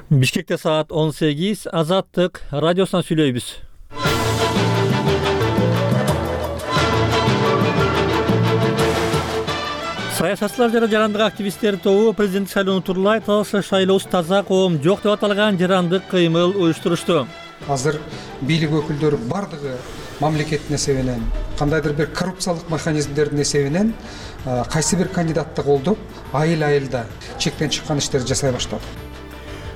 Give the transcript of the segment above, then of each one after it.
Бишкекте саат 18, Азаттык радиосунан сүйлөйбүз. Саясатчылар жана жарандык активисттер тобу президенттик шайлоону турлай таза шайлоосуз таза коом жок деп аталган жарандык кыймыл уюштурушту. Азыр бийлик өкүлдөрү бардыгы мамлекеттин эсебинен, кандайдыр бир коррупциялык механизмдердин эсебинен кайсы бир кандидатты колдоп, айыл-айылда чектен чыккан иштерди жасай баштады.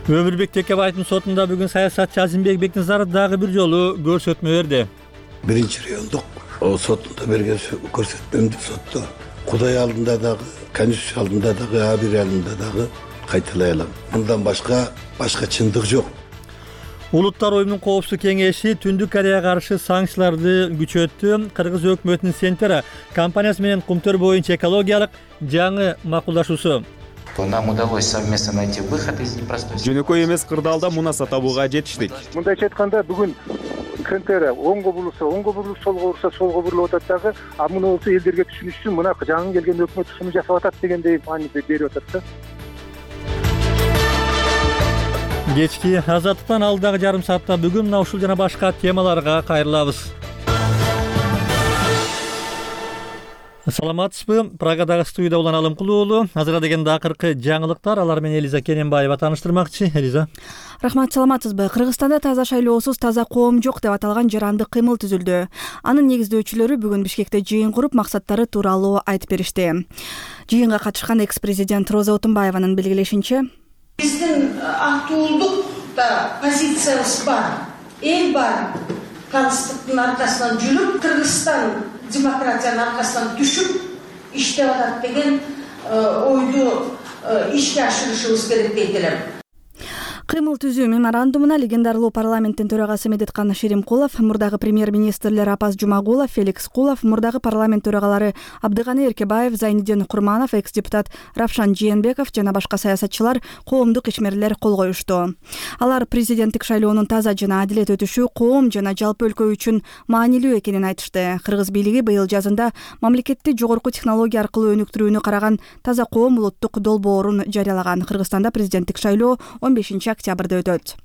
Өмүрбек Текебаевдин сотунда бүгүн саясатчы Азимбек Бекназаров дагы бир жолу көрсөтмө берди. Биринчи райондук сотунда берген көрсөтмөмдү сотто Кудай алдында дагы, Конституция алдында дагы, абир алдында дагы кайталай алам. Мындан башка чындык жок. Улуттар оюмунун коопсуздук кеңеши Түндүк Кореяга каршы санкцияларды күчөттү. Кыргыз өкмөтүнүн Сентера компаниясы менен Кумтөр боюнча экологиялык жаңы макулдашуусу. Нам удалось совместно найти выход из непростой ситуации. Жөнөкөй эмес кырдаалда мунаса табууга жетиштик. Мындайча айтканда бүгүн Сентера оңго бурулса, солго бурса, солго бурулуп атат дагы, а муну болсо элдерге түшүнүш үчүн мына жаңы келген өкмөт ушуну жасап атат дегендей мааниде берип атат да. Кечки Азаттыктан алдагы жарым саатта бүгүн мына ушул жана башка темаларга кайрылабыз. Саламатсызбы? Прагадагы студияда улан Алымкул уулу. Азыр дегенде акыркы жаңылыктар, алар менен Элиза Керенбаева тааныштырмакчы. Элиза. Рахмат, саламатсызбы? Кыргызстанда таза шайлоосуз таза коом жок деп аталган жарандык кыймыл түзүлдү. Анын негиздөөчүлөрү бүгүн Бишкекте жыйын куруп, максаттары тууралуу айтып беришти. Жыйынга катышкан экс-президент Роза Отунбаеванын белгилешинче, биздин актуулдукта позициябыз бар, эл бар, калыстыктын аркасынан жүрүп, Кыргызстан демократиянын аркасынан түшүп иштеп атат деген ойду ишке ашырышыбыз керек дейт элем. Кыймыл түзүү меморандумуна легендарлуу парламенттин төрагасы Медеткан Шеримкулов, мурдагы премьер-министрлер Апаз Жумагулов, Феликс Кулов, мурдагы парламент төрагалары Абдыганы Эркебаев, Зайниддин Курманов, экс-депутат Равшан Жээнбеков жана башка саясатчылар, коомдук ишмерлер кол коюшту. Алар президенттик шайлоонун таза жана адилет өтүшү коом жана жалпы өлкө үчүн маанилүү экенин айтышты. Кыргыз бийлиги быйыл жазында мамлекетти жогорку технология аркылуу өнүктүрүүнү караган таза коом улуттук долбоорун жарыялаган. Кыргызстанда президенттик шайлоо 15 октябрда өтөт.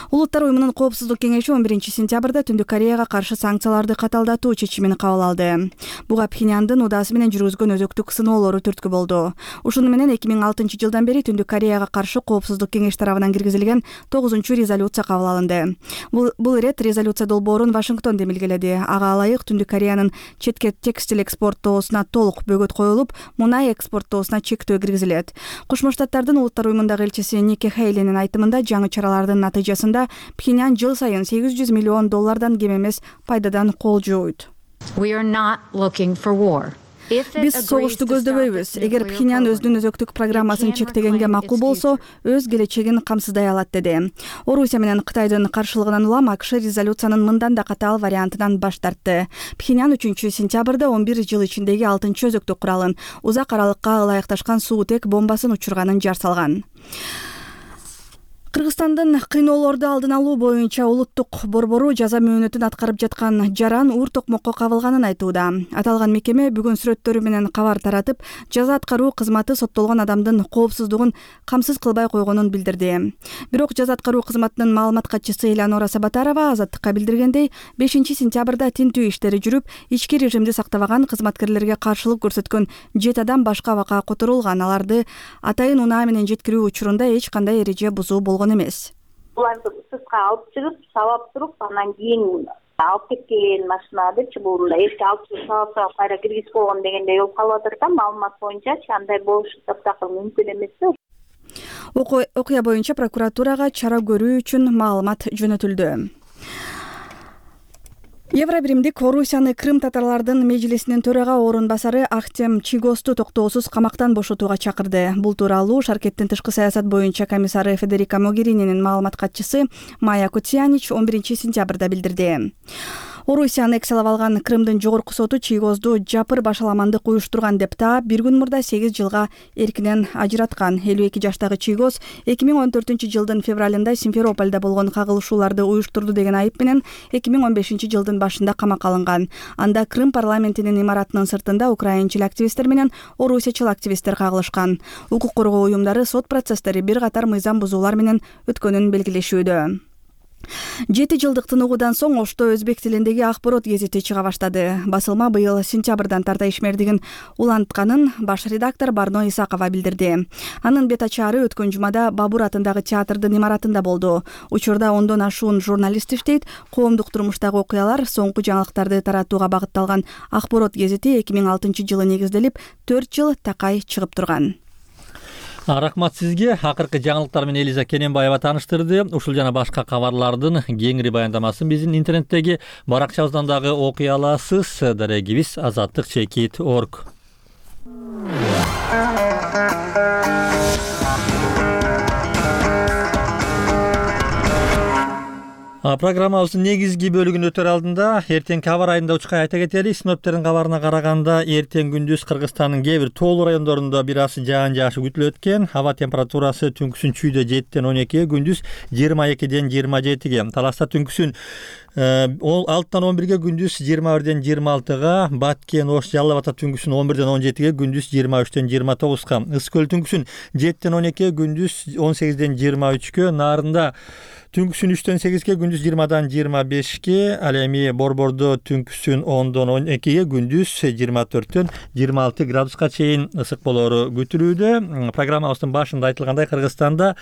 Улуттар оюмунун коопсуздук кеңеши 11 сентябрда Түндүк Кореяга каршы санкцияларды каталдатуу чечимин кабыл алды. Буга Пхеньяндын удаасы менен жүргүзгөн өзөктүк сыноолору түрткү болду. Ушуну менен 2006 жылдан бери Түндүк Кореяга каршы коопсуздук кеңеш тарабынан киргизилген 9-чу резолюция кабыл алынды. Бул ирет резолюция долбоорун Вашингтон демилгеледи. Ага ылайык Түндүк Кореянын четке текстиль экспорттоосуна толук бөгөт коюлуп, мунай экспорттоосуна чектөө киргизилет. Кошмо Штаттардын улуттар оюмундагы элчиси Ники Хейлинин айтымында жаңы чаралардын натыйжасында Пхеньян жыл сайын $800 миллион кем эмес пайдадан кол жууйт. Биз согушту көздөбөйбүз. Эгер Пхеньян өзүнүн өзөктүк программасын чектегенге макул болсо, өз келечегин камсыздай алат деди. Орусия менен Кытайдын каршылыгынан улам АКШ резолюциянын мындан да катаал вариантынан баш тартты. Пхеньян 3 сентябрда 11 жыл ичиндеги 6-чы өзөктүк куралын, узак аралыкка ылайыкташкан суутек бомбасын учурганын жар салган. Кыргызстандын кыйноолорду алдын алуу боюнча улуттук борбору жаза мөөнөтүн аткарып жаткан Жаран уур токмокко кабылганын айтууда. Аталган мекеме бүгүн сүрөттөрү менен кабар таратып, жаза аткаруу кызматы соттолгон адамдын коопсуздугун камсыз кылбай койгонун билдирди. Бирок жаза аткаруу кызматынын маалымат катчысы Элеонора Сабатарова Азаттыкка билдиргендей, 5 сентябрда тинтүү иштери жүрүп, ички режимди сактабаган кызматкерлерге каршылык көрсөткөн 7 адам башка абакка которулган. Аларды атайын унаа менен жеткирүү учурунда эч кандай эреже бузуу болгон эмес. Буларды сыртка алып чыгып, сабап туруп, анан кийин алып кеткен машинады чыбуурунда эшикке алып чыгып сабап кайра киргизип койгон дегендей болуп калып атат да. Маалымат боюнча андай болушу таптакыр мүмкүн эмес да. Окуя боюнча прокуратурага чара көрүү үчүн маалымат жөнөтүлдү. Евробиримдик Орусияны Крым татарлардын межлисинин төрага орун басары Ахтем Чигосту токтоосуз камактан бошотууга чакырды. Бул тууралуу Шаркеттин тышкы саясат боюнча комиссары Федерика Могерининин маалымат катчысы Майя Кутьянич 11 сентябрда билдирди. Орусия аннексиялап алган Крымдын жогорку соту чийгозду жапыр башаламандык уюштурган деп таап 1 күн мурда 8 жылга эркинен ажыраткан. 52 жаштагы чийгоз 2014-жылдын февралында Симферопольдо болгон кагылышууларды уюштурду деген айып менен 2015-жылдын башында камакка алынган. Анда Крым парламентинин имаратынын сыртында украинчил активисттер менен орусиячыл активисттер кагылышкан. Укук коргоо уюмдары сот процесстери бир катар мыйзам бузуулар менен өткөнүн белгилешүүдө. 7 жылдык тыныгуудан соң Ошто өзбек тилиндеги Акборот гезити чыга баштады. Басылма быйыл сентябрдан тарта ишмердигин улантканын баш редактор Барно Исакова билдирди. Анын бет ачаары өткөн жумада Бабур атындагы театрдын имаратында болду. Учурда 10дон ашуун журналист иштейт. Коомдук турмуштагы окуялар, соңку жаңылыктарды таратууга багытталган Акборот гезити 2006-жылы негизделип, 4 жыл такай чыгып турган. Рахмат сизге. Акыркы жаңылыктар менен Элиза Кененбаева тааныштырды. Ушул жана башка кабарлардын кеңири баяндамасын биздин интернеттеги баракчабыздан дагы окуй аласыз. Дарегибиз azatlyk.org. Программабыздын негизги бөлүгүн өтөр алдында эртең кабар айында учкай айта кетели. Синоптиктердин кабарына караганда эртең күндүз Кыргызстандын кээ бир тоолуу райондорунда бир аз жаан жаашы күтүлөт экен. Аба температурасы түнкүсүн чүйдө 7ден 12, күндүз 22ден 27ге. Таласта түнкүсүн 6-dan 11ге, күндүз 21ден 26га, Баткен, Ош, Жалал Абад түнкүсүн 11ден 17ге, күндүз 23ден 29га, Ысык көл түнкүсүн 7ден 12ге, күндүз 18ден 23гө, Нарында түнкүсүн 3ден 8ге, күндүз 20дан 25ге, ал эми Борбордо түнкүсүн 10дон 12ге, күндүз 24дөн 26 градуска чейин ысык болору күтүлүүдө. Программабыздын башында айтылгандай, Кыргызстанда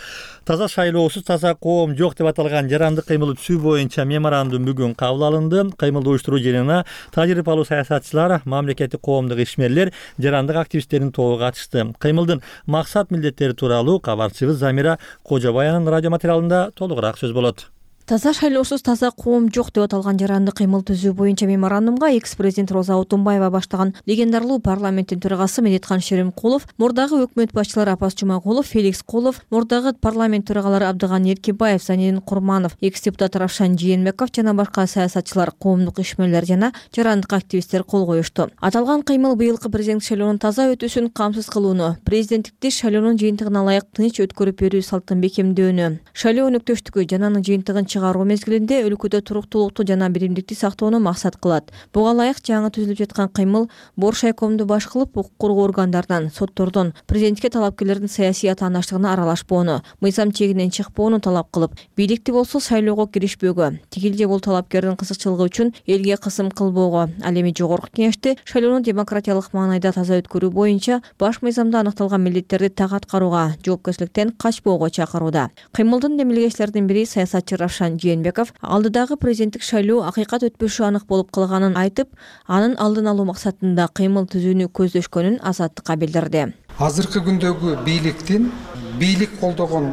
таза шайлоосуз таза коом жок деп аталган жарандык кыймыл түзүү боюнча меморандум бүгүн кабыл алынды. Кыймылды уюштуруу жыйынына тажрыйбалуу саясатчылар, мамлекеттик коомдук ишмерлер, жарандык активисттердин тобу катышты. Кыймылдын максат милдеттери тууралуу кабарчыбыз Замира Кожобаянын радио материалында толугураак сөз болот. Таза шайлоосуз таза коом жок деп аталган жарандык кыймыл түзүү боюнча меморандумга экс-президент Роза Отунбаева баштаган легендарлуу парламенттин төрагасы Медеткан Шеримкулов, мурдагы өкмөт башчылары Апас Жумагулов, Феликс Колов, мурдагы парламент төрагалары Абдыганы Эркебаев, Зайнидин Курманов, экс-депутат Равшан Жээнбеков жана башка саясатчылар, коомдук ишмерлер жана жарандык активисттер кол коюшту. Аталган кыймыл быйылкы президенттик шайлоонун таза өтүүсүн камсыз кылууну, президенттикти шайлоонун жыйынтыгына ылайык тынч өткөрүп берүү салтын бекемдөөнү, шайлоо өнөктөштүгү жана анын жыйынтыгын чыгаруу мезгилинде өлкөдө туруктуулукту жана биримдикти сактоону максат кылат. Буга ылайык жаңы түзүлүп жаткан кыймыл Боршайкомду баш кылып, укук коргоо органдарынан, соттордон президентке талапкерлердин саясий атаандаштыгына аралашпоону, мыйзам чегинен чыкпоону талап кылып, бийликти болсо шайлоого киришпөөгө, тигил бул талапкердин кызыкчылыгы үчүн элге кысым кылбоого, ал эми жогорку кеңешти шайлоону демократиялык маанайда таза өткөрүү боюнча баш мыйзамда аныкталган милдеттерди так аткарууга, жоопкерчиликтен качпоого чакырууда. Кыймылдын демилгечилердин бири саясатчы Равшан Жээнбеков алдыдагы президенттик шайлоо акыйкат өтпөшү анык болуп калганын айтып, анын алдын алуу максатында кыймыл түзүүнү көздөшкөнүн Азаттыкка билдирди. Азыркы күндөгү бийлик колдогон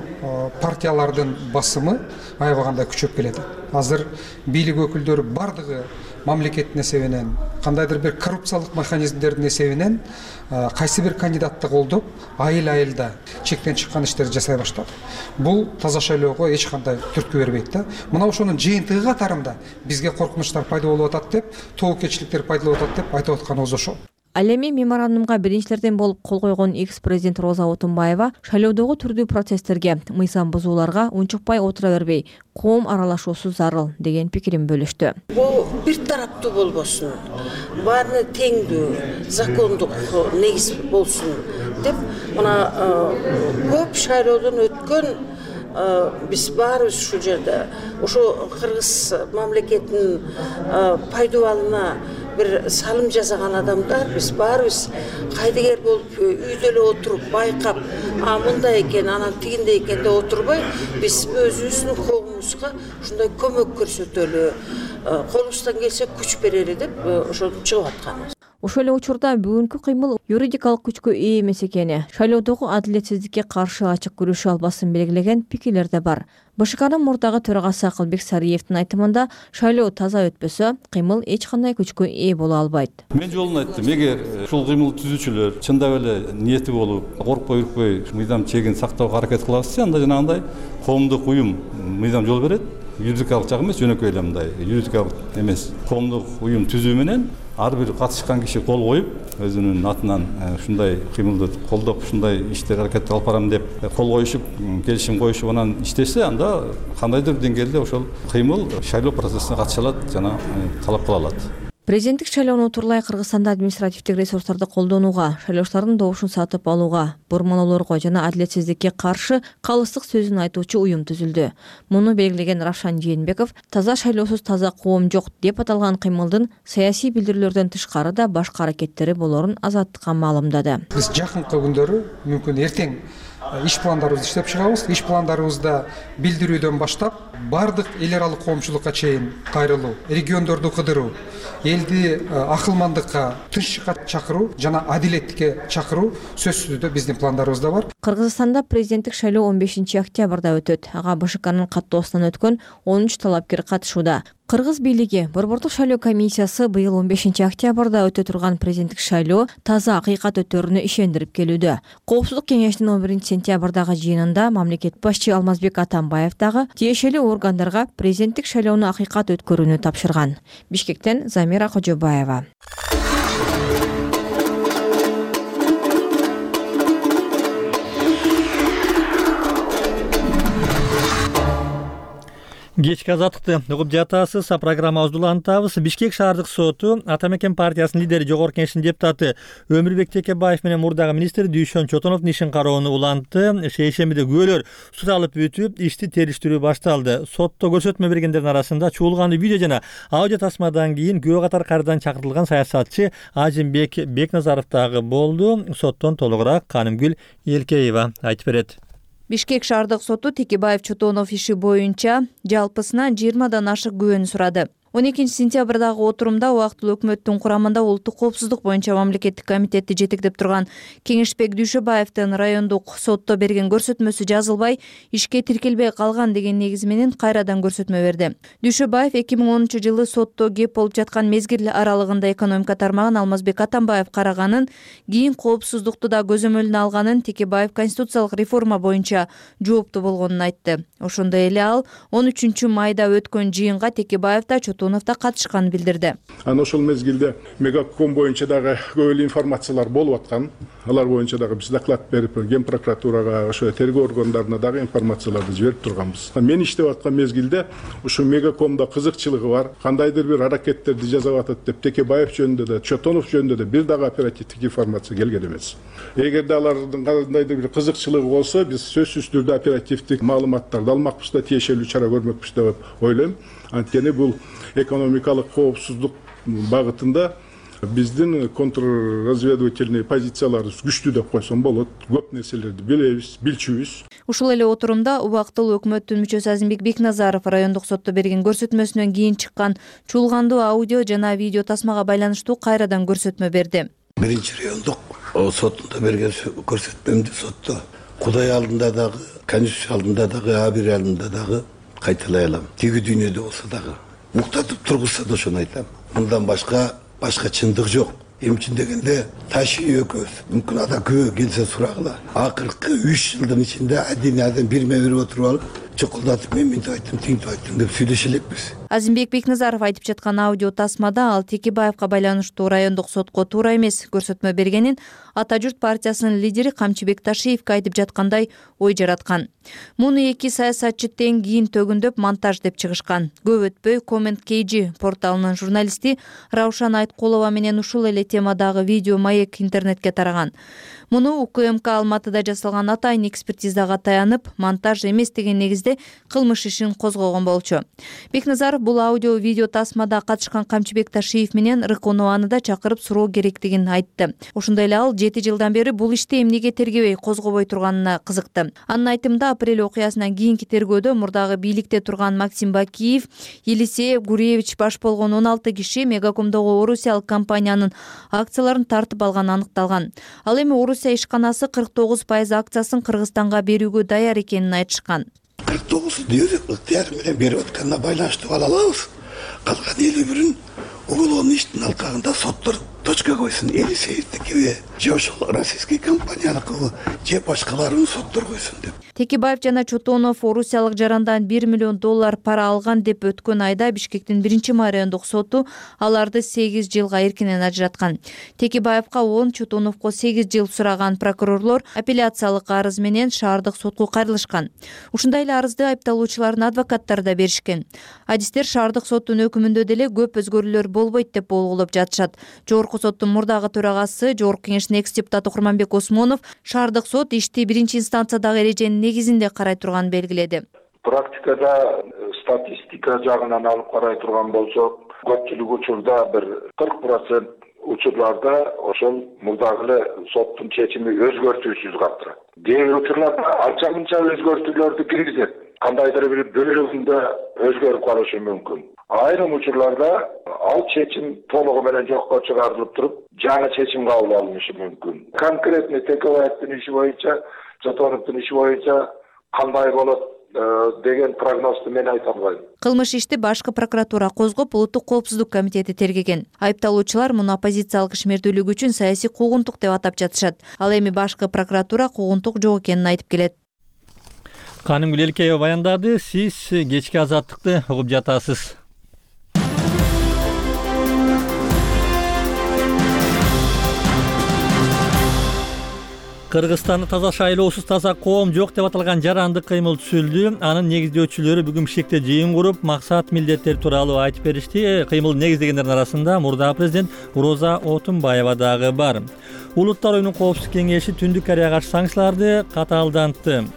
партиялардын басымы аябаганда күчөп келет. Азыр бийлик өкүлдөрү бардыгы мамлекеттин эсебинен, кандайдыр бир коррупциялык механизмдердин эсебинен кайсы бир кандидатты колдоп, айыл-айылда чектен чыккан иштерди жасай баштады. Бул таза шайлоого эч кандай түрткү бербейт да. Мына ошонун жыйынтыгы катарында бизге коркунучтар пайда болуп атат деп, тоокечиликтер пайда болуп атат деп айтып атканыбыз ошол. Ал эми меморандумга биринчилерден болуп кол койгон экс-президент Роза Отунбаева шайлоодогу түрдүү процесстерге, мыйзам бузууларга унчукпай отура бербей, коом аралашуусу зарыл деген пикирин бөлүштү. Бул бир тараптуу болбосун, баары теңдүү, закондук негиз болсун деп, мына көп шайлоодон өткөн биз баарыбыз ушул жерде, ошо Кыргыз мамлекетинин пайдубалына бир салым жасаган адамдар, биз баарыбыз кайдыгер болуп үйдө эле отуруп байкап, мындай экен, анан тигиндей экен деп отурбай, биз өзүбүздүн коомубузга ушундай көмөк көрсөтөлү, колубуздан келсе күч берели деп ошо чыгып атканбыз. Ошол эле учурда бүгүнкү кыймыл юридикалык күчкө ээ эмес экени, шайлоодогу адилетсиздикке каршы ачык күрөшүү албасын белгилеген пикирлер да бар. БШКнын мурдагы төрагасы Акылбек Сариевдин айтымында, шайлоо таза өтпөсө, кыймыл эч кандай күчкө ээ боло албайт. Мен жолун айттым, эгер ушул кыймыл түзүүчүлөр чындап эле ниети болуп, коркпой үркпөй мыйзам чегин сактоого аракет кылабызчы, анда жанагындай коомдук уюм мыйзам жол берет. юридикалык жагы эмес, жөнөкөй эле мындай юридикалык эмес коомдук уюм түзүү менен ар бир катышкан киши кол коюп, өзүнүн атынан ушундай кыймылды колдоп, ушундай иштер аракет алып барам деп кол коюшуп, келишим коюшуп анан иштесе, анда кандайдыр деңгээлде ошол кыймыл шайлоо процессине катыша алат жана талап кыла алат. Президенттик шайлоону утурлай Кыргызстанда административдик ресурстарды колдонууга, шайлоочулардын добушун сатып алууга, бурмалоолорго жана адилетсиздикке каршы калыстык сөзүн айтуучу уюм түзүлдү. Муну белгилеген Равшан Жээнбеков таза шайлоосуз таза коом жок деп аталган кыймылдын саясий билдирүүлөрдөн тышкары да башка аракеттери болорун Азаттыкка маалымдады. Биз жакынкы күндөрү мүмкүн эртең иш пландарыбызды иштеп чыгабыз. Иш пландарыбызда билдирүүдөн баштап бардык эл аралык коомчулукка чейин кайрылуу, региондорду кыдыруу, элди акылмандыкка, тынччыкка чакыруу жана адилеттикке чакыруу сөзсүз түрдө биздин пландарыбызда бар. Кыргызстанда президенттик шайлоо 15 октябрда өтөт. Ага БШКнын каттоосунан өткөн 13 талапкер катышууда. Кыргыз бийлиги Борбордук шайлоо комиссиясы быйыл 15 октябрда өтө турган президенттик шайлоо таза акыйкат өтөрүнө ишендирип келүүдө. Коопсуздук кеңешинин 11 сентябрдагы жыйынында мамлекет башчы Алмазбек Атамбаев дагы тиешелүү органдарга президенттик шайлоону акыйкат өткөрүүнү тапшырган. Бишкектен Замира Кожобаева. Кечки азаттыкты угуп жатасыз. Программабызды улантабыз. Бишкек шаардык соту Ата Мекен партиясынын лидери, Жогорку Кеңештин депутаты Өмүрбек Текебаев менен мурдагы министр Дүйшөн Чотоновдун ишин кароону улантты. Шейшембиде күбөлөр суралып бүтүп, ишти териштирүү башталды. Сотто көрсөтмө бергендердин арасында чуулган видео жана аудио тасмадан кийин күбө катары кайрадан чакыртылган саясатчы Ажимбек Бекназаров дагы болду. Соттон толугураак Канымгүл Элкеева айтып берет. Бишкек шаардык соту Текебаев Чотонов иши боюнча жалпысынан 20дан ашык күбөнү сурады. 12 сентябрдагы отурумда убактылуу өкмөттүн курамында улуттук коопсуздук боюнча мамлекеттик комитетти жетектеп турган Кеңешбек Дүйшөбаевдин райондук сотто берген көрсөтмөсү жазылбай, ишке тиркелбей калган деген негиз менен кайрадан көрсөтмө берди. Дүйшөбаев 2010-жылы сотто кеп болуп жаткан мезгил аралыгында экономика тармагын Алмазбек Атамбаев караганын, кийин коопсуздукту да көзөмөлүнө алганын, Текебаев конституциялык реформа боюнча жооптуу болгонун айтты. Ошондой эле ал 13 майда өткөн жыйынга Текебаев да Чотоновда катышканын билдирди. Ана ошол мезгилде Мегаком боюнча дагы көп эле информациялар болуп аткан. Алар боюнча дагы биз доклад берип, Ген прокуратурага, ошо тергөө органдарына дагы информацияларды жиберип турганбыз. Мен иштеп аткан мезгилде ушу Мегакомдо кызыкчылыгы бар, кандайдыр бир аракеттерди жасап атат деп Текебаев жөнүндө да, Чотонов жөнүндө да бир дагы оперативдик информация келген эмес. Эгерде алардын кандайдыр бир кызыкчылыгы болсо, биз сөзсүз түрдө оперативдик маалыматтарды алмакпыз да, тиешелүү чара көрмөкпүз деп ойлойм. Анткени бул экономикалык коопсуздук багытында биздин контрразведывательный позицияларыбыз күчтүү деп койсом болот. Көп нерселерди билебиз, билчүбүз. Ушул эле отурумда убактылуу өкмөттүн мүчөсү Азимбек Бекназаров райондук сотто берген көрсөтмөсүнөн кийин чыккан чуулгандуу аудио жана видео тасмага байланыштуу кайрадан көрсөтмө берди. Биринчи райондук сотунда берген көрсөтмөмдү сотто Кудай алдында дагы, Конституция алдында дагы, Абир алдында дагы кайталай алам. Тиги дүйнөдө болсо дагы уктатып тургузса да ошону айтам. Мындан башка чындык жок. Эми үчүн дегенде Таши экөөбүз мүмкүн ада күбө келсе сурагыла. Акыркы 3 жылдын ичинде аден бирме берип отуруп алып, чокулдатып мен мынтип айттым, тинтип айттым деп сүйлөшө элекпиз. Азимбек Бекназаров айтып жаткан аудио тасмада ал Текебаевка байланыштуу райондук сотко туура эмес көрсөтмө бергенин Ата журт партиясынын лидери Камчыбек Ташиевке айтып жаткандай ой жараткан. Муну эки саясатчы тең кийин төгүндөп монтаж деп чыгышкан. Көп өтпөй Comment KG порталынын журналисти Раушан Айткулова менен ушул эле темадагы видео маек интернетке тараган. Муну УКМК Алматыда жасалган атайын экспертизага таянып, монтаж эмес деген негизде кылмыш ишин козгогон болчу. Бекназаров бул аудио видео тасмада катышкан Камчыбек Ташиев менен Рыконованы да чакырып суроо керектигин айтты. Ошондой эле ал 7 жылдан бери бул ишти эмнеге тергебей козгобой турганына кызыкты. Анын айтымында апрель окуясынан кийинки тергөөдө мурдагы бийликте турган Максим Бакиев, Елисей Гуревич баш болгон 16 киши Мегакомдогу орусиялык компаниянын акцияларын тартып алганы аныкталган. Ал эми Орусия ишканасы 49% акциясын Кыргызстанга берүүгө даяр экенин айтышкан. 49 ыктыяр менен берип атканына байланыштуу ала алабыз. Калган 51-ин уголовный иштин алкагында соттор точка койсун, Елисеевдикиби же ошол российский компанияныкыбы же башкаларын соттор койсун деп. Текебаев жана Чотонов орусиялык жарандан $1 миллион пара алган деп өткөн айда Бишкектин 1 райондук соту аларды 8 жылга эркинен ажыраткан. Текебаевка 10, Чотоновго 8 жыл сураган прокурорлор апелляциялык арыз менен шаардык сотко кайрылышкан. Ушундай эле арызды айыпталуучулардын адвокаттары да беришкен. Адистер шаардык соттун өкүмүндө деле көп өзгөрүүлөр болбойт деп болгулоп жатышат. Жогорку соттун мурдагы төрагасы, Жогорку кеңештин экс-депутаты Курманбек Осмонов шаардык сот ишти биринчи инстанциядагы эреженин негизинде карай турганын белгиледи. Практикада статистика жагынан алып карай турган болсок, көпчүлүк учурда бир 40% учурларда ошол мурдагы эле соттун чечими өзгөртүүсүз калтырат. Кээ бир учурларда анча мынча өзгөртүүлөрдү киргизет. Кандайдыр бир бөлүгүндө өзгөрүп калышы мүмкүн. Айрым учурларда ал чечим толугу менен жокко чыгарылып туруп, жаңы чечим кабыл алынышы мүмкүн. Конкретно Текебаевдин иши боюнча, Чотоновдун иши боюнча кандай болот деген прогнозду мен айта албайм. Кылмыш ишти башкы прокуратура козгоп, Улуттук коопсуздук комитети тергеген. Айыпталуучулар муну оппозициялык ишмердүүлүк үчүн саясий куугунтук деп атап жатышат. Ал эми башкы прокуратура куугунтук жок экенин айтып келет. Канымгүл Элкеева баяндады. Сиз кечки азаттыкты угуп жатасыз. Кыргызстанда таза шайлоосуз таза коом жок деп аталган жарандык кыймыл түзүлдү. Анын негиздөөчүлөрү бүгүн Бишкекте жыйын куруп, максат милдеттер тууралуу айтып беришти. Кыймылды негиздегендердин арасында мурдагы президент Роза Отунбаева дагы бар. Улуттар оюнунун коопсуздук кеңеши Түндүк Кореяга каршы санкцияларды катаалдантты.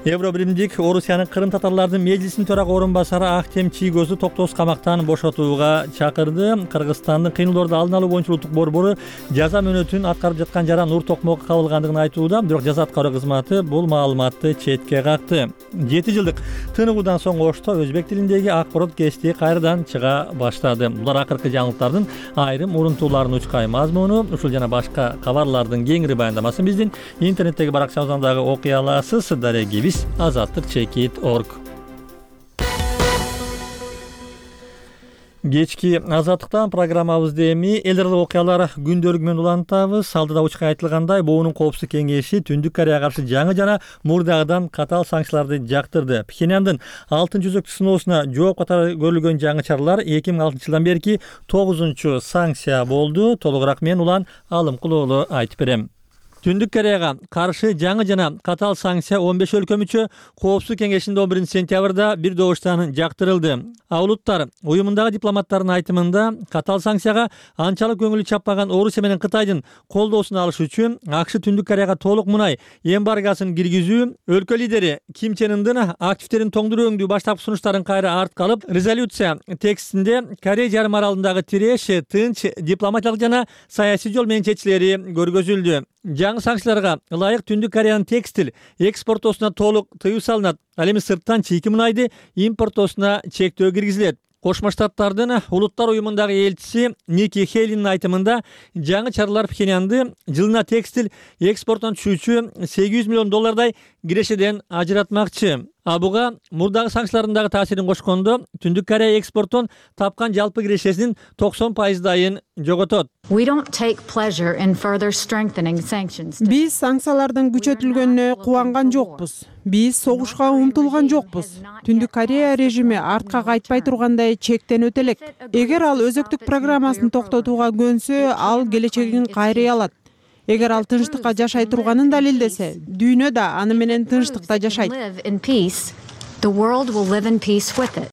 Евробиримдик Орусиянын Кырым татарлардын межлисинин төрага орун басары Актем Чийгозду токтоосуз камактан бошотууга чакырды. Кыргызстандын кыймылдарды алдын алуу боюнча улуттук борбору жаза мөөнөтүн аткарып жаткан жаран Нур Токмокко кабылгандыгын айтууда, бирок жаза аткаруу кызматы бул маалыматты четке какты. 7 жылдык тыныгуудан соң Ошто өзбек тилиндеги акпарат кести кайрадан чыга баштады. Булар акыркы жаңылыктардын айрым урунтууларынын учкай мазмуну. Ушул жана башка кабарлардын кеңири баяндамасын биздин интернеттеги баракчабыздан дагы окуй аласыз. Дарегибиз azatlik.org. Кечки азаттыктан программабызды эми эл аралык окуялар күндөлүгү менен улантабыз. Алдыда учка айтылгандай, БОУнун коопсуздук кеңеши Түндүк Кореяга каршы жаңы жана мурдагыдан катаал санкцияларды жактырды. Пхеньяндын алтын жүзөктү сыноосуна жооп катары көрүлгөн жаңы чаралар 2006 жылдан берки 9-чу санкция болду. Толугураак мен Улан Алымкулуулу айтып берем. Түндүк Кореяга каршы жаңы жана катаал санкция 15 өлкө мүчө коопсуздук кеңешинде 11 сентябрда бир добуштан жактырылды. Улуттар уюмундагы дипломаттардын айтымында катаал санкцияга анчалык көңүлү чаппаган Орусия менен Кытайдын колдоосун алыш үчүн АКШ Түндүк Кореяга толук мунай эмбаргосын киргизүү, өлкө лидери Ким Чен Ындын активдерин тоңдуруу баштапкы сунуштарын кайра артка алып, резолюция текстинде Корея жарым аралындагы тиреш, тынч, дипломатиялык жана саясий жол менен чечилери көргөзүлдү. Жаңы санкцияларга ылайык Түндүк Кореянын текстил экспортоосуна толук тыюу салынат. Ал эми сырттан чийки мунайды импортоосуна чектөө киргизилет. Кошмо Штаттардын улуттар уюмундагы элчиси Ники Хейлинин айтымында жаңы чаралар Пхеньянды жылына текстил экспортунан түшүүчү $800 миллион кирешеден ажыратмакчы. Буга мурдагы санкциялардын дагы таасирин кошкондо Түндүк Корея экспортун тапкан жалпы кирешесинин 90%-дайын жоготот. Биз санкциялардын күчөтүлгөнүнө кубанган жокпуз. Биз согушка умтулган жокпуз. Түндүк Корея режими артка кайтпай тургандай чектен өтө элек. Эгер ал өзөктүк программасын токтотууга көнсө, ал келечегин кайрый алат. Эгер ал тынчтыкка жашай турганын далилдесе, дүйнө да аны менен тынчтыкта жашайт.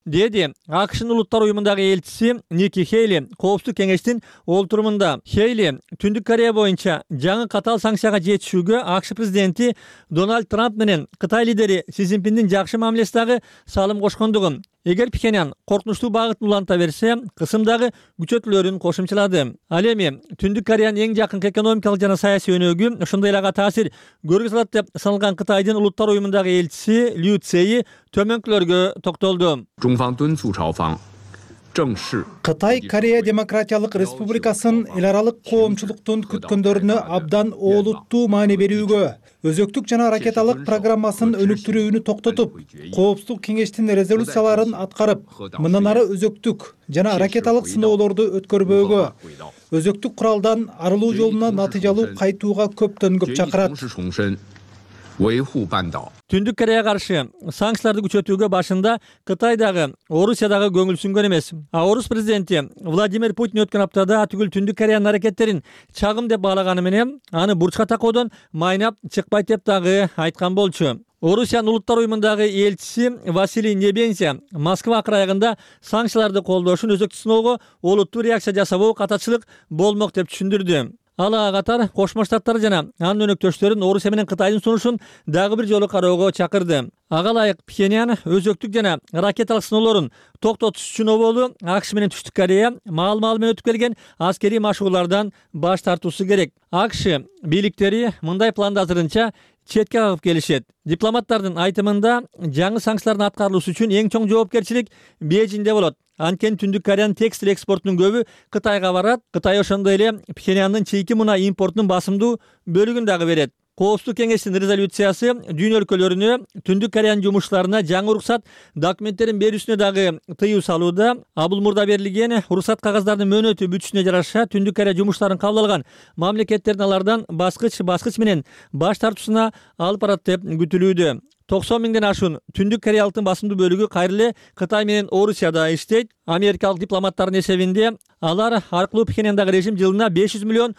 Деди АКШнын улуттар уюмундагы элчиси Ники Хейли коопсуздук кеңештин олтурумунда. Хейли Түндүк Корея боюнча жаңы катаал санкцияга жетишүүгө АКШ президенти Дональд Трамп менен Кытай лидери Си Цзиньпиндин жакшы мамилесиндагы салым кошкондугун, эгер Пхеньян коркунучтуу багытын уланта берсе, кысымдагы күчөтүүлөрүн кошумчалады. Ал эми Түндүк Кореянын эң жакын экономикалык жана саясий өнөгү, ошондой эле ага таасир көргөзө алат деп саналган Кытайдын улуттар уюмундагы элчиси Лю Цзеи төмөнкүлөргө токтолду. Кытай Корея Демократиялык Республикасын эл аралык коомчулуктун күткөндөрүнө абдан олуттуу маани берүүгө, өзөктүк жана ракеталык программасын өнүктүрүүнү токтотуп, Коопсуздук кеңештин резолюцияларын аткарып, мындан ары өзөктүк жана ракеталык сыноолорду өткөрбөөгө, өзөктүк куралдан арылуу жолуна натыйжалуу кайтууга көптөн көп чакырат. Түндүк Кореяга каршы санкцияларды күчөтүүгө башында Кытай дагы, Орусия дагы көңүл сүнгөн эмес. Орус президенти Владимир Путин өткөн аптада түгүл Түндүк Кореянын аракеттерин чагым деп баалаганы менен аны бурчка такоодон майнап чыкпайт деп дагы айткан болчу. Орусиянын улуттар уюмундагы элчиси Василий Небензя Москва акырайыгында санкцияларды колдошун өзөктүк сыноого олуттуу реакция жасабоо катачылык болмок деп түшүндүрдү. Ал ага катар Кошмо Штаттар жана анын өнөктөштөрүн Орусия менен Кытайдын сунушун дагы бир жолу кароого чакырды. Ага ылайык Пхеньян өзөктүк жана ракеталык сыноолорун токтотуш үчүн оболу АКШ менен Түштүк Корея маал-маал менен өтүп келген аскерий машыгуулардан баш тартуусу керек. АКШ бийликтери мындай планды азырынча четке кагып келишет. Дипломаттардын айтымында жаңы санкциялардын аткарылышы үчүн эң чоң жоопкерчилик Бейжиңде болот. Анткени Түндүк Кореянын текстиль экспортунун көбү Кытайга барат. Кытай ошондой эле Пхеньяндын чийки мунай импортунун басымдуу бөлүгүн дагы берет. Коопсуздук кеңештин резолюциясы дүйнө өлкөлөрүнө Түндүк Кореянын жумушчуларына жаңы уруксат документтерин берүүсүнө дагы тыюу салууда. Бул мурда берилген уруксат кагаздардын мөөнөтү бүтүшүнө жараша Түндүк Корея жумуштарын кабыл алган мамлекеттердин алардан баскыч менен баш тартуусуна алып барат деп күтүлүүдө. 90 миңден ашуун Түндүк Кореялыктын басымдуу бөлүгү кайра эле Кытай менен Орусияда иштейт. Америкалык дипломаттардын эсебинде алар аркылуу Пхеньяндагы режим жылына $500 миллион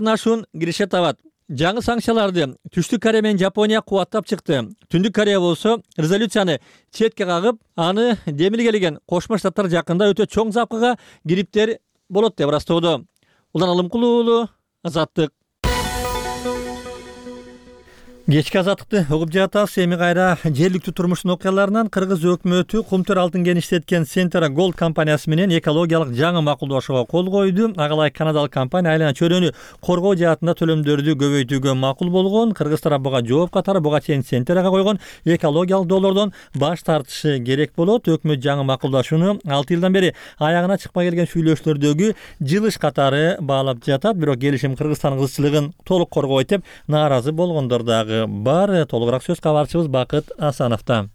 ашуун киреше табат. Жаңы санкцияларды Түштүк Корея менен Жапония кубаттап чыкты. Түндүк Корея болсо резолюцияны четке кагып, аны демилгелеген Кошмо Штаттар жакында өтө чоң запкыга кириптер болот деп ырастоодо. Улан Алымкулуу уулу, Азаттык. Кечки азаттыкты угуп жатабыз. Эми кайра жергиликтүү турмуштун окуяларынан Кыргыз өкмөтү Кумтөр алтын кен иштеткен Centara Gold компаниясы менен экологиялык жаңы макулдашууга кол койду. Ага ылайык канадалык компания айлана чөйрөнү коргоо жаатында төлөмдөрдү көбөйтүүгө макул болгон. Кыргыз тарап буга жооп катары буга чейин Centarага койгон экологиялык доллордон баш тартышы керек болот. Өкмөт жаңы макулдашууну 6 жылдан бери аягына чыкпай келген сүйлөшүүлөрдөгү жылыш катары баалап жатат. Бирок келишим Кыргызстан кызчылыгын толук коргойт деп нааразы болгондор дагы бар. Толугураак сөз кабарчыбыз Бакыт Асановдо.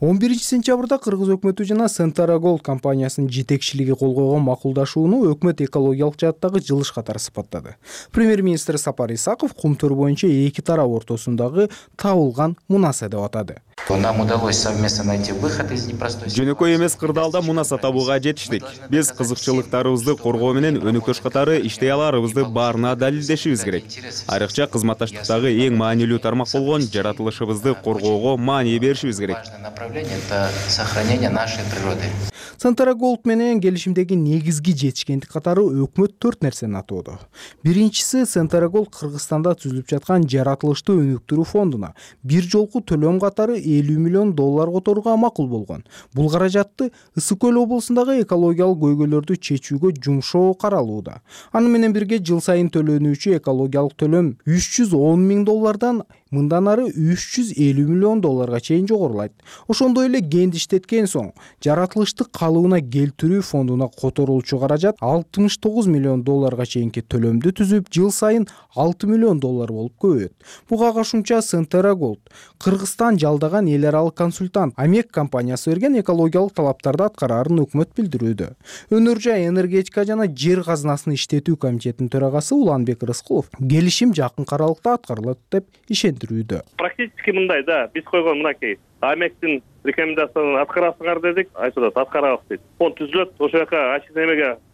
11-сентябрда Кыргыз өкмөтү жана Centara Gold компаниясынын жетекчилиги кол койгон макулдашууну өкмөт экологиялык жааттагы жылыш катары сыпаттады. Премьер-министр Сапар Исаков Кумтөр боюнча эки тарап ортосундагы табылган мунаса деп атады. Нам удалось совместно найти выход из непростой ситуации. Жөнөкөй эмес кырдаалда мунаса табууга жетиштик. Биз кызыкчылыктарыбызды коргоо менен өнөктөш катары иштей аларыбызды баарына далилдешибиз керек. Айрыкча кызматташтыктагы эң маанилүү тармак болгон жаратылышыбызды коргоого маани беришибиз керек. Это сохранение нашей природы. Centara Gold менен келишимдеги негизги жетишкендик катары өкмөт 4 нерсени атоодо. Биринчиси, Centara Gold Кыргызстанда түзүлүп жаткан жаратылышты өнүктүрүү фондуна бир жолку төлөм катары $50 миллион которууга макул болгон. Бул каражатты Ысык көл облусундагы экологиялык көйгөйлөрдү чечүүгө жумшоо каралууда. Аны менен бирге жыл сайын төлөнүүчү экологиялык төлөм $310 миң мындан ары $350 миллион чейин жогорулайт. Ошондой эле кенди иштеткен соң жаратылышты калыбына келтирүү фондуна которулчу каражат $69 миллион чейинки төлөмдү түзүп, жыл сайын $6 миллион болуп көбөйөт. Буга кошумча Centara Gold Кыргызстан жалдаган эл аралык консультант Амек компаниясы берген экологиялык талаптарды аткарарын өкмөт билдирүүдө. Өнөр жай энергетика жана жер казынасын иштетүү комитетинин төрагасы Уланбек Рыскулов келишим жакын аралыкта аткарылат деп ишендирүүдө. Практически мындай да, биз койгон мынакей Амектин рекомендациясын аткарасыңар дедик, айтылат аткарабыз дейт. Фонд түзүлөт, ошол жака ачы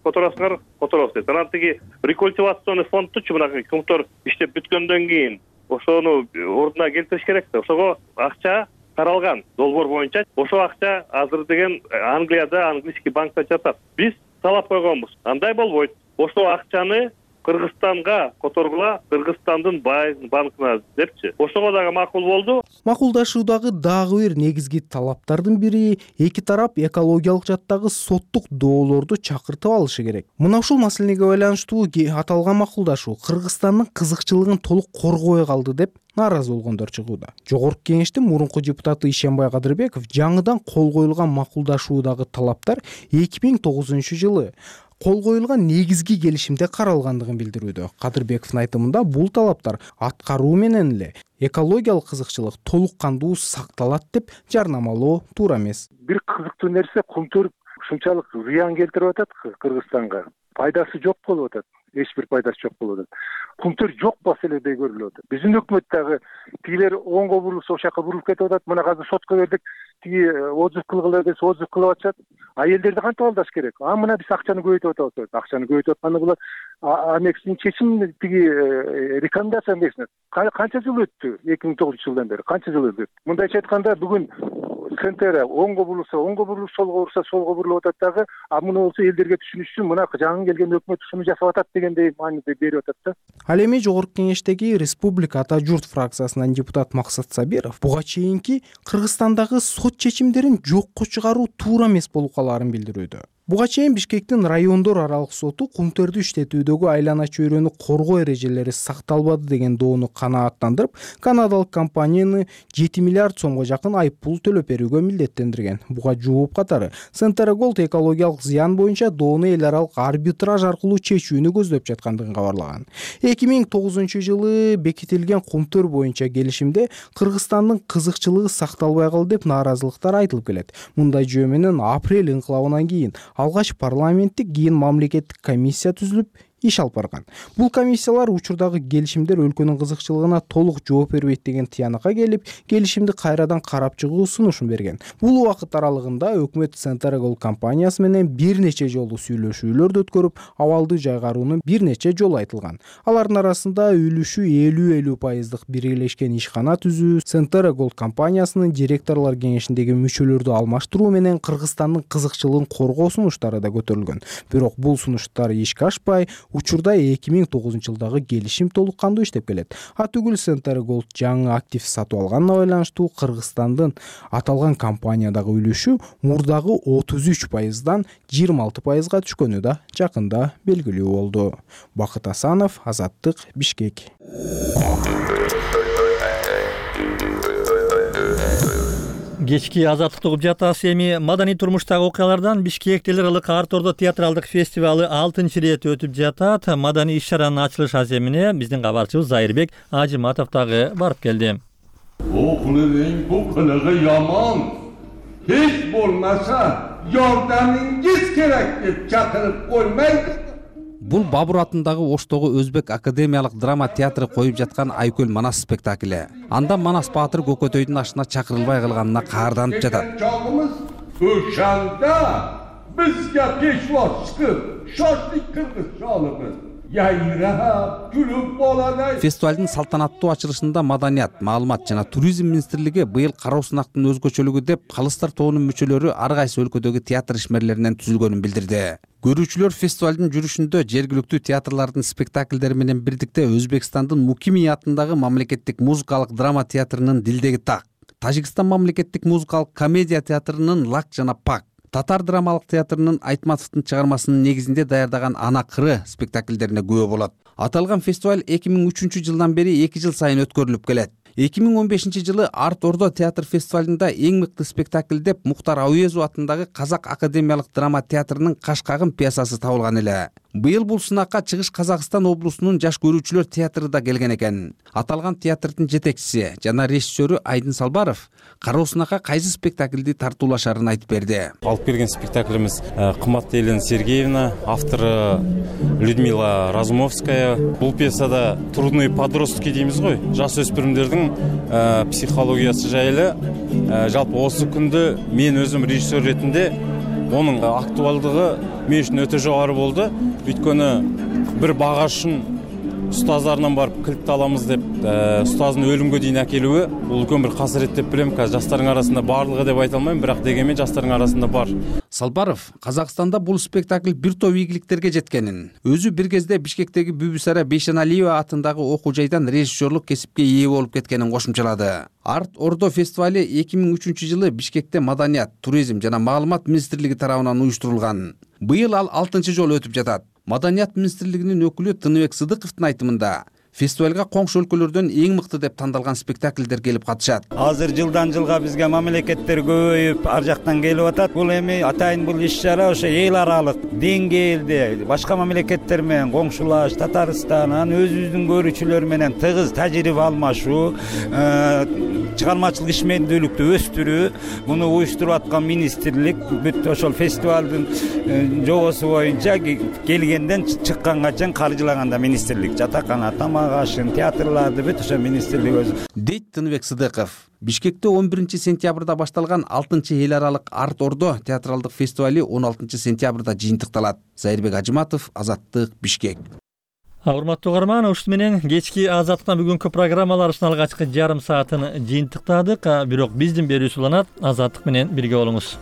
которасыңар, которобуз дейт. Анан тиги рекультивационный фондтучу мынакей Кумтөр иштеп бүткөндөн кийин ошону ордуна келтириш керек да. Ошого акча таралган долбоор боюнча. Ошол акча азыр деген Англияда английский банкта жатат. Биз талап койгонбуз. Андай болбойт. Ошол акчаны Кыргызстанга которгула, Кыргызстандын банкына депчи. Ошого дагы макул болду. Макулдашуудагы дагы бир негизги талаптардын бири эки тарап экологиялык жаттагы соттук доолорду чакыртып алышы керек. Мына ушул маселеге байланыштуу аталган макулдашуу Кыргызстандын кызыкчылыгын толук коргобой калды деп нааразы болгондор чыгууда. Жогорку кеңештин мурунку депутаты Ишенбай Кадырбеков жаңыдан кол коюлган макулдашуудагы талаптар 2009-жылы кол коюлган негизги келишимде каралгандыгын билдирүүдө. Кадырбековдун айтымында бул талаптар аткаруу менен эле экологиялык кызыкчылык толук кандуу сакталат деп жарнамалоо туура эмес. Бир кызыктуу нерсе кумтөр ушунчалык зыян келтирип атат Кыргызстанга. Пайдасы жок болуп атат. Эч бир пайдасы жок болуп атат. Кумтөр жок маселедей көрүлүп атат. Биздин өкмөт дагы тигилер оңго бурулса ошол жака бурулуп кетип атат. Мына азыр сотко бердик. Тиги отзыв кылгыла десе отзыв кылып атышат. Элдерди кантип алдаш керек? Мына биз акчаны көбөйтүп атабыз. Акчаны көбөйтүп атканы булар аннексин чечим тиги рекомендация эмесине канча жыл өттү? 2009-жылдан бери канча жыл өттү? Мындайча айтканда бүгүн центр оңго бурулса оңго бурулуп, солго бурулса солго бурулуп атат дагы. Муну болсо элдерге түшүнүш үчүн мына жаңы келген өкмөт ушуну жасап атат дегендей мааниде берип атат да. Ал эми жогорку кеңештеги Республика Ата журт фракциясынан депутат Максат Сабиров буга чейинки Кыргызстандагы сот чечимдерин жокко чыгаруу туура эмес болуп калаарын билдирүүдө. Буга чейин Бишкектин райондор аралык соту кумтөрдү иштетүүдөгү айлана чөйрөнү коргоо эрежелери сакталбады деген доону канааттандырып, канадалык компанияны 7 миллиард сомго жакын айыппул төлөп берүүгө милдеттендирген. Буга жооп катары Центр Голд экологиялык зыян боюнча доону эл аралык арбитраж аркылуу чечүүнү көздөп жаткандыгын кабарлаган. 2009-жылы бекитилген кумтөр боюнча келишимде Кыргызстандын кызыкчылыгы сакталбай калды деп нааразылыктар айтылып келет. Мындай жөө менен апрель инкылабынан кийин алгач парламенттик, кийин мамлекеттик комиссия түзүлүп иш алып барган. Бул комиссиялар учурдагы келишимдер өлкөнүн кызыкчылыгына толук жооп бербейт деген тыянакка келип, келишимди кайрадан карап чыгуу сунушун берген. Бул убакыт аралыгында өкмөт Центр Голд компаниясы менен бир нече жолу сүйлөшүүлөрдү өткөрүп, абалды жайгаруунун бир нече жолу айтылган. Алардын арасында үлүшү 50-50% биргелешкен ишкана түзүү, Центр Голд компаниясынын директорлор кеңешиндеги мүчөлөрдү алмаштыруу менен Кыргызстандын кызыкчылыгын коргоо сунуштары да көтөрүлгөн. Бирок бул сунуштар ишке ашпай, учурда 2009-жылдагы келишим толук кандуу иштеп келет. Атүгүл Центр Голд жаңы актив сатып алганына байланыштуу Кыргызстандын аталган компаниядагы үлүшү мурдагы 33%дан 26%га түшкөнү да жакында белгилүү болду. Бакыт Асанов, Азаттык, Бишкек. Кечки азаттыкты угуп жатасыз. Эми маданий турмуштагы окуялардан Бишкекте ылык Ар-Тордо театралдык фестивалы 6-ирет өтүп жатат. Маданий иш-чаранын ачылыш аземине биздин кабарчыбыз Зайырбек Ажиматов дагы барып келди. Бул кылыгы яман. Hiç болмаса жардамыңыз керек деп чакырып коймайды. Бул Бабур атындагы Оштогу Өзбек академиялык драма театры коюп жаткан Айкөл Манас спектакли. Анда Манас Баатыр Көкөтөйдүн ашына чакырылбай калганына каарданып жатат. Чагымыз ошанда бизге пешвоз чыгып, шашлык кыргыз чалыбыз. Яйрап, күлүп болот. Фестивалдын салтанаттуу ачылышында Маданият, Маалымат жана Туризм министрлиги быйыл кароосунактын өзгөчөлүгү деп калыстар тобунун мүчөлөрү ар кайсы өлкөдөгү театр ишмерлеринен түзүлгөнүн билдирди. Көрүүчүлөр фестивалдын жүрүшүндө жергиликтүү театрлардын спектакльдери менен бирдикте Өзбекстандын Мукими атындагы мамлекеттик музыкалык драма театрынын Дилдеги так, Тажикстан мамлекеттик музыкалык комедия театрынын Лак жана Пак, Татар драмалык театрынын Айтматовдун чыгармасынын негизинде даярдаган Ана кыры спектакльдерине күбө болот. Аталган фестиваль 2003-жылдан бери 2 жыл сайын өткөрүлүп келет. 2015-жылы Ар-Тордо театр фестивалында эң мыкты спектакль деп Мухтар Ауезов атындагы Казак академиялык драма театрынын Кашкагым пьесасы табылган эле. Быйыл бул сынакка Чыгыш Казакстан облусунун жаш көрүүчүлөр театры да келген экен. Аталган театрдын жетекчиси жана режиссеру Айдын Салбаров кароосунакка кайсы спектакльди тартуулашарын айтып берди. Алып келген спектаклimiz кымбаттуу Елена Сергеевна, автору Людмила Разумовская. Бул пьесада трудные подростки деймиз ғой, жас өспүрүмдөрдүн психологиясы жайлы. Жалпы осы күндө мен өзүм режиссер ретинде onun актуалдыгы мен үчүн өтө жогору болду. Өйткөнү бир багашын ұстаздарынан барып кілтті аламыз деп, ұстаздың өлімге дейін әкелуі, бұл үлкен бір қасірет деп білем. Қазір жастардың арасында барлығы деп айта алмаймын, бірақ дегенмен жастардың арасында бар. Салбаров Казакстанда бул спектакль бир топ ийгиликтерге жеткенин, өзү бир кезде Бишкектеги Бүбүсара Бейшеналиева атындагы окуу жайдан режиссерлук кесипке ээ болуп кеткенин кошумчалады. Арт Ордо фестивали 2003-жылы Бишкекте Маданият, туризм жана маалымат министрлиги тарабынан уюштурулган. Быйыл ал 6-жолу өтүп жатат. Маданият министрлигинин өкүлү Тыныбек Сыдыковдун айтымында, фестивалга коңшу өлкөлөрдөн эң мыкты деп тандалган спектакльдер келип катышат. Азыр жылдан жылга бизге мамлекеттер көбөйүп, ар жактан келип атат. Бул эми атайын бул иш-чара ошо эл аралык деңгээлде башка мамлекеттер менен коңшулаш, Татарстан, өзүбүздүн көрүүчүлөр менен тыгыз тажрыйба алмашуу, чыгармачылык ишмердүүлүктү өстүрүү, муну уюштуруп аткан министрлик бүт ошол фестивалдын жобосу боюнча келгенден чыкканга чейин каржылаганда министрлик жатакана, ашын, театрларды бүт ошо министрлик өзү. Дейт Тыныбек Сыдыков. Бишкекте 11-сентябрда башталган 6-эл аралык Арт Ордо театралдык фестивали 16-сентябрда жыйынтыкталат. Зайырбек Ажыматов, Азаттык, Бишкек. Урматтуу угарман, ушул менен кечки Азаттыктан бүгүнкү программаларыбыздын алгачкы жарым саатын жыйынтыктадык. Бирок биздин берүүбүз уланат. Азаттык менен бирге болуңуз.